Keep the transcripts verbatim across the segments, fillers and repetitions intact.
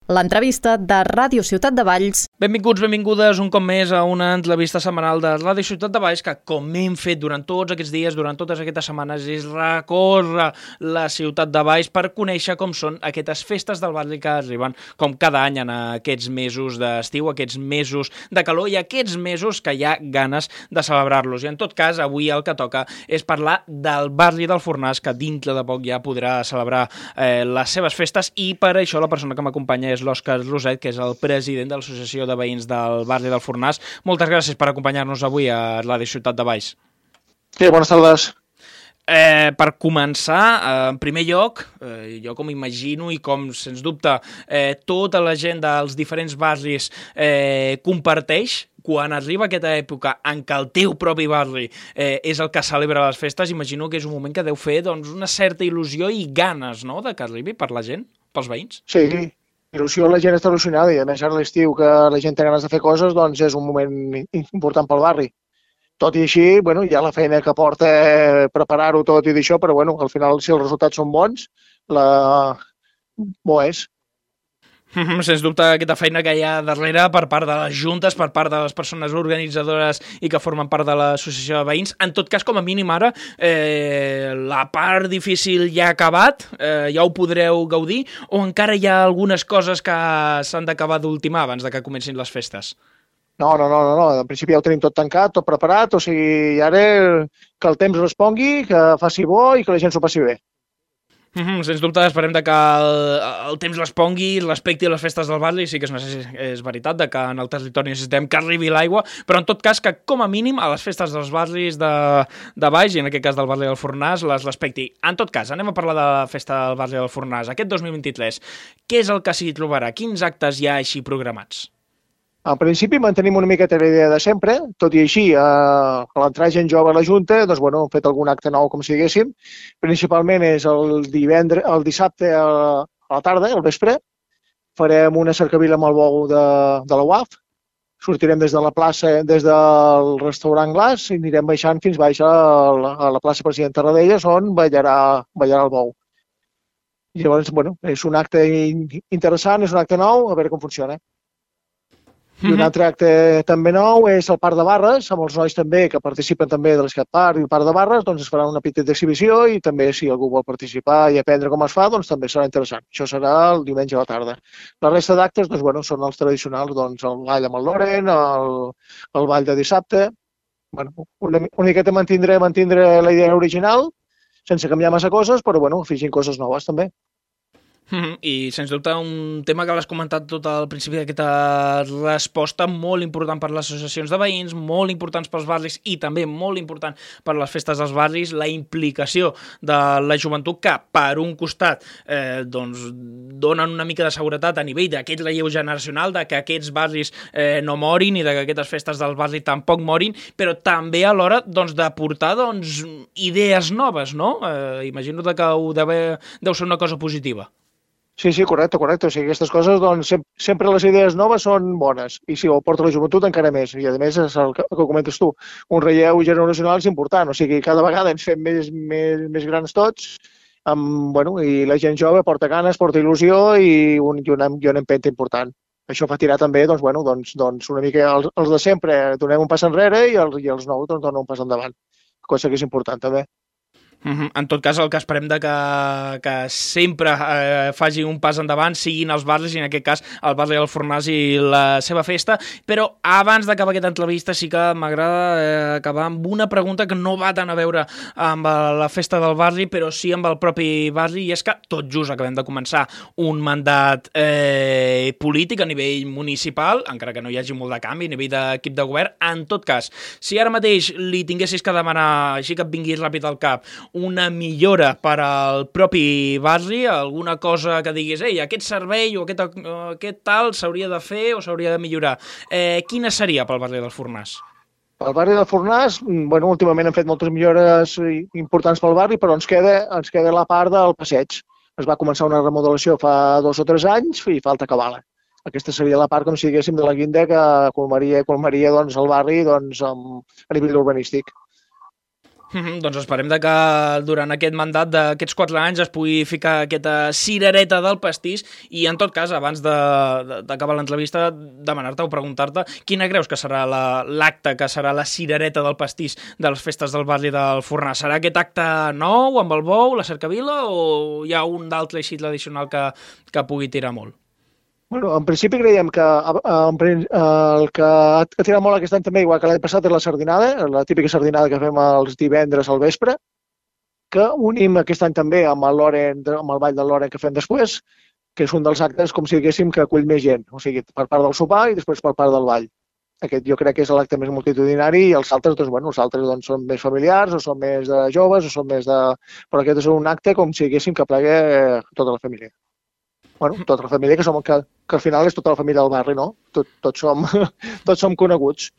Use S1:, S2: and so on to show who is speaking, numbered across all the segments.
S1: L'entrevista de Ràdio Ciutat de Valls.
S2: Benvinguts, benvingudes un cop més a una entrevista setmanal de Ràdio Ciutat de Valls que, com hem fet durant tots aquests dies, durant totes aquestes setmanes, és recórrer la ciutat de Valls per conèixer com són aquestes festes del barri que arriben com cada any en aquests mesos d'estiu, aquests mesos de calor i aquests mesos que hi ha ganes de celebrar-los. I en tot cas, avui el que toca és parlar del barri del Fornàs, que dintre de poc ja podrà celebrar eh, les seves festes, i per això la persona que m'acompanya és l'Òscar Roset, que és el president de l'Associació de Veïns del barri del Fornàs. Moltes gràcies per acompanyar-nos avui a Ràdio Ciutat de Valls.
S3: Sí, bones tardes.
S2: Eh, per començar, eh, en primer lloc, eh, jo com imagino i com, sens dubte, eh, tota la gent dels diferents barris eh, comparteix, quan arriba aquesta època en què el teu propi barri eh, és el que celebra les festes, imagino que és un moment que deu fer doncs, una certa il·lusió i ganes, no?, de que arribi per la gent, pels veïns.
S3: Sí, il·lusió, la gent està il·lusionada i a més ara a l'estiu que la gent té ganes de fer coses, doncs és un moment important pel barri. Tot i així, bueno, hi ha la feina que porta preparar-ho tot i d'això, però bueno, al final si els resultats són bons, la... bo és.
S2: Sens dubte aquesta feina que hi ha darrere per part de les juntes, per part de les persones organitzadores i que formen part de l'associació de veïns. En tot cas, com a mínim ara, eh, la part difícil ja ha acabat, eh, ja ho podreu gaudir, o encara hi ha algunes coses que s'han d'acabar d'ultimar abans de que comencin les festes?
S3: No, no, no, no, no, en principi ja ho tenim tot tancat, tot preparat, o sigui, ara que el temps respongui, que faci bo i que la gent s'ho passi bé.
S2: Mm-hmm, sens dubte, esperem de que el, el temps respongui, respecti les festes del barri. Sí que és, és veritat de que en el territori necessitem que arribi l'aigua, però en tot cas que com a mínim a les festes dels barris de, de Valls, i en aquest cas del barri del Fornàs, les respecti. En tot cas, anem a parlar de la festa del barri del Fornàs. Aquest dos mil vint-i-tres, què és el que s'hi trobarà? Quins actes hi ha així programats?
S3: En principi mantenim una miqueta la idea de sempre, tot i així, eh, a l'entrar gent jove a la Junta, doncs, bueno, hem fet algun acte nou, com si diguéssim. Principalment és el divendres, el dissabte a la tarda, al vespre, farem una cercavila amb el bou de, de la U A F, sortirem des de la plaça, des del restaurant Glaç, i anirem baixant fins baix a la, a la plaça President Tarradellas, on ballarà, ballarà el bou. I llavors, bueno, és un acte interessant, és un acte nou, a veure com funciona. I un altre acte també nou és el Parc de Barres, amb els nois també que participen també de l'Skatepark i el Parc de Barres, doncs es farà una petita exhibició i també si algú vol participar i aprendre com es fa, doncs també serà interessant. Això serà el diumenge a la tarda. La resta d'actes, doncs bueno, són els tradicionals, doncs el ball amb el Loren, el, el ball de dissabte. Bueno, una, una miqueta mantindre, mantindre la idea original, sense canviar massa coses, però bueno, afegint coses noves també.
S2: Mm-hmm. I, sens dubte, un tema que l'has comentat tot al principi d'aquesta resposta, molt important per les associacions de veïns, molt importants pels barris i també molt important per les festes dels barris, la implicació de la joventut que, per un costat, eh, doncs, donen una mica de seguretat a nivell d'aquest relleu generacional, de que aquests barris eh, no morin i de que aquestes festes del barri tampoc morin, però també a l'hora doncs, de portar doncs, idees noves, no? Eh, imagino que ho deu, deu ser una cosa positiva.
S3: Sí, sí, correcte, correcte. O sigui, aquestes coses, doncs, sempre les idees noves són bones. I si ho porta la joventut, encara més. I, a més, és el que, el que comentes tu, un relleu generacional és important. O sigui, cada vegada ens fem més, més, més grans tots, amb, bueno, i la gent jove porta ganes, porta il·lusió i, un, i, una, i una empenta important. Això fa tirar també, doncs, bueno, doncs, doncs una mica els, els de sempre donem un pas enrere i els, i els nous doncs, donen un pas endavant. Cosa que és important també.
S2: Mm-hmm. En tot cas, el que esperem de que, que sempre eh, faci un pas endavant siguin els barris, i en aquest cas el barri del Fornàs i la seva festa. Però abans d'acabar aquesta entrevista sí que m'agrada eh, acabar amb una pregunta que no va tant a veure amb la festa del barri, però sí amb el propi barri, i és que tot just acabem de començar un mandat eh, polític a nivell municipal, encara que no hi hagi molt de canvi a nivell d'equip de govern. En tot cas, si ara mateix li tinguessis que demanar, així que et vingui ràpid al cap, una millora per al propi barri, alguna cosa que diguis, ei, aquest servei o aquest, aquest tal s'hauria de fer o s'hauria de millorar. Eh, quina seria pel barri del Fornàs?
S3: Pel barri del Fornàs, bueno, últimament hem fet moltes millores importants pel barri, però ens queda, ens queda la part del passeig. Es va començar una remodelació fa dos o tres anys i falta acabar-la. Aquesta seria la part, com si diguéssim, de la guinda que colmaria, colmaria doncs, el barri doncs, amb, a nivell urbanístic.
S2: Mm-hmm, doncs esperem de que durant aquest mandat d'aquests quatre anys es pugui ficar aquesta cirereta del pastís i, en tot cas, abans d'acabar l'entrevista, demanar-te o preguntar-te quina creus que serà l'acte, que serà la cirereta del pastís de les festes del barri del Fornàs. Serà aquest acte nou, amb el bou, la cercavila, o hi ha un d'altre així tradicional que, que pugui tirar molt?
S3: Bueno, en principi creiem que en, el que ha tirat molt aquest any també, igual que l'any passat, és la sardinada, la típica sardinada que fem els divendres al vespre, que unim aquest any també amb el, Loren, amb el ball del Loren que fem després, que és un dels actes, com si diguéssim, que acull més gent, o sigui, per part del sopar i després per part del ball. Aquest jo crec que és l'acte més multitudinari i els altres, doncs, bueno, els altres doncs, són més familiars, o són més de joves, o són més de... Però aquest és un acte com si diguéssim que plegui tota la família. Bueno, tota la família, que, som, que, que al final és tota la família del barri, no? Tot, tots, som, tots som coneguts.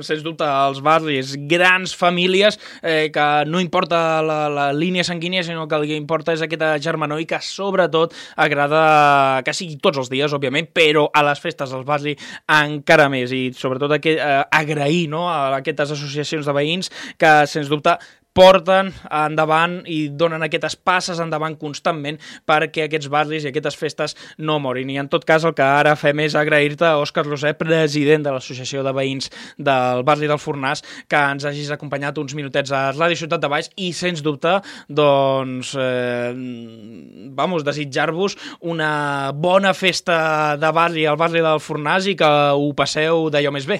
S2: Sens dubte, els barris, grans famílies, eh, que no importa la, la línia sanguínia, sinó que el que importa és aquesta germanor i que sobretot agrada que sigui tots els dies, òbviament, però a les festes del barri encara més, i sobretot aquest, eh, agrair, no?, a aquestes associacions de veïns que, sens dubte, porten endavant i donen aquestes passes endavant constantment perquè aquests barris i aquestes festes no morin. I en tot cas el que ara fem és agrair-te a Òscar Losé, president de l'Associació de Veïns del barri del Fornàs, que ens hagis acompanyat uns minutets a Ràdio Ciutat de Valls i, sens dubte, doncs, eh, vamos, desitjar-vos una bona festa de barri al barri del Fornàs i que ho passeu d'allò més bé.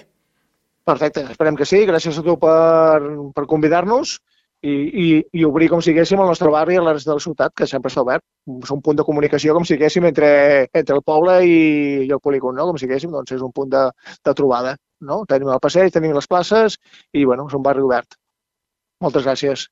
S3: Perfecte, esperem que sí. Gràcies a tu per, per convidar-nos. I, i, i obrir, com si diguéssim, el nostre barri a la resta de la ciutat, que sempre està obert. És un punt de comunicació, com si diguéssim, entre, entre el poble i, i el polígon, no? Com si diguéssim, doncs és un punt de, de trobada, no? Tenim el passeig, tenim les places i, bueno, és un barri obert. Moltes gràcies.